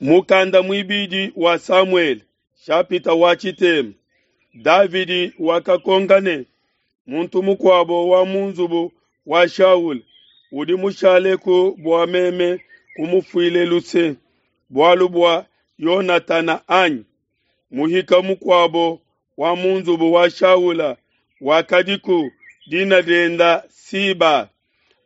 Mukanda muibidi wa Samuele, shapita wa tshitema. Davidi wakakonka ne, Muntu mukuabo wa mu nzubu wa Shaula udi mushaleku bua meme kumufuile luse bualu bua Yonatana anyi? Muhika mukuabo wa mu nzubu wa Shaula wakadiku, dina dienda Siba.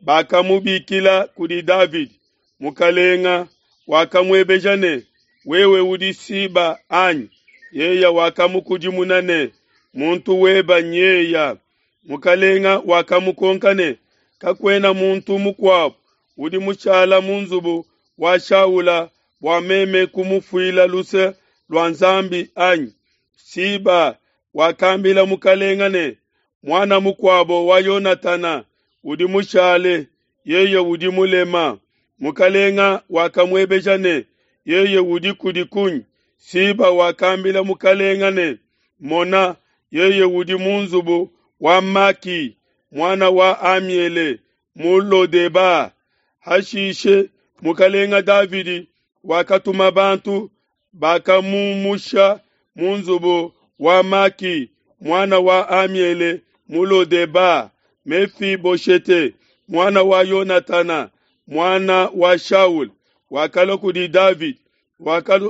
Bakamubikila kudi Davidi. Mukalenga wakamuebeja ne, Wewe udi Siba anyi? Yeya wakamukudimuna ne, Muntu weba nyeya. Mukalenga wakamukonka ne, Kakuena muntu mukuabu udi mushala mu nzubu wa Shaula bua meme kumufuila luse lua Nzambi anyi? Siba wakambila mukalenga ne, Muana mukuabo wa Yonatana udi mushale, yeye udi mulema. Mukalenga wakamuebeja ne, Yeye udi kudi kunyi? Siba wakambila mukalenga ne, Mona, yeye udi mu nzubu wa Maki, muana wa Amiele, mu Lodeba. Hashishe mukalenga Davidi wakatuma bantu, bakamumusha mu nzubu wa Maki, muana wa Amiele, mu Lodeba. Mefiboshete, muana wa Yonatana, muana wa Shaul, wakalua kudi Davidi,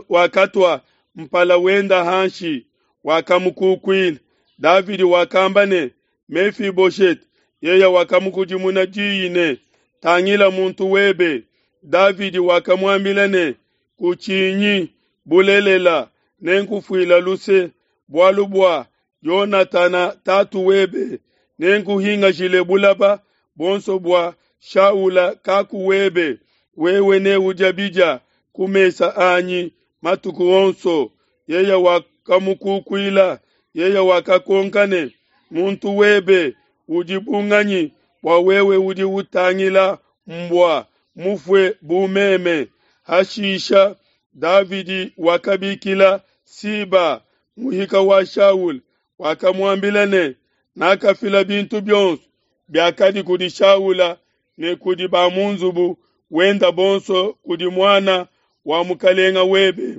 wakatua mpala wenda hanshi, wakamukukuila. Davidi wakamba ne, Mefiboshete. Yeye wakamukudimuna diyi ne, Tangila muntu webe. Davidi wakamuambila ne, Kutshinyi, bulelela, nenkufuila luse, bualu bua Yonatana tatu webe, nenkuhingashile bulaba buonso bua Shaula kaku webe, wewe neudia bidia ku mesa anyi matuku onso. Yeye wakamukukuila, yeye wakakonka ne, Muntu webe udi bu nganyi bua wewe udi utangila mbua mufue bu meme? Hashisha Davidi wakabikila Siba, muhika wa Shaula, wakamuambila ne, Nakafila bintu bionso biakadi kudi Shaula ne kudi ba mu nzubu wenda bonso kudi muana wa mukalenga webe,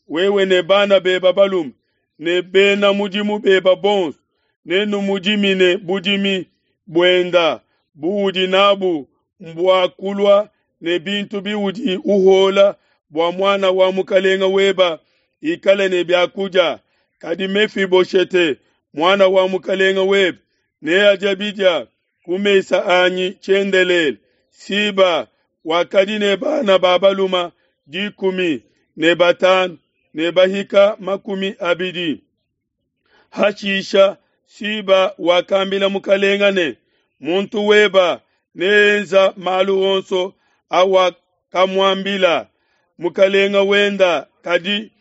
wewe ne bana beba balume ne bena mudimu beba bonso, nenumudimine budimi buenda buudi nabu mbua kulua ne bintu biudi uhola bua muana wa mukalenga weba ikale ne biakudia. Kadi Mefiboshete, muana wa mukalenga webe, neadia bidia ku mesa anyi tshiendelele. Siba wakadi ne bana ba balume 15 ne bahika 20. Hashisha Siba wakambila mukalenga ne, Muntu weba neenza malu onso awakamuambila mukalenga wenda, kadi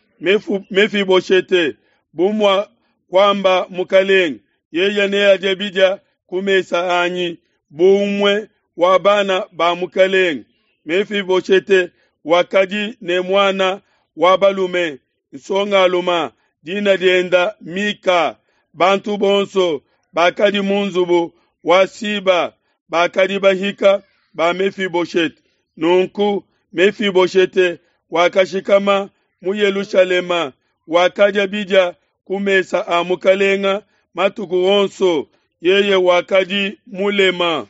Mefiboshete, bu mua kuamba mukalenga, yeye neadie bidia ku mesa anyi bu umue wa bana ba mukalenga. Mefiboshete wakadi ne muana wa balume nsongaluma, dina dienda Mika. Bantu bonso bakadi mu nzubu wa Siba bakadi bahika ba Mefiboshete. Nunku Mefiboshete wakashikama mu Yelushalema, wakadia bidia ku mesa a mukalenga matuku onso, yeye wakadi mulema.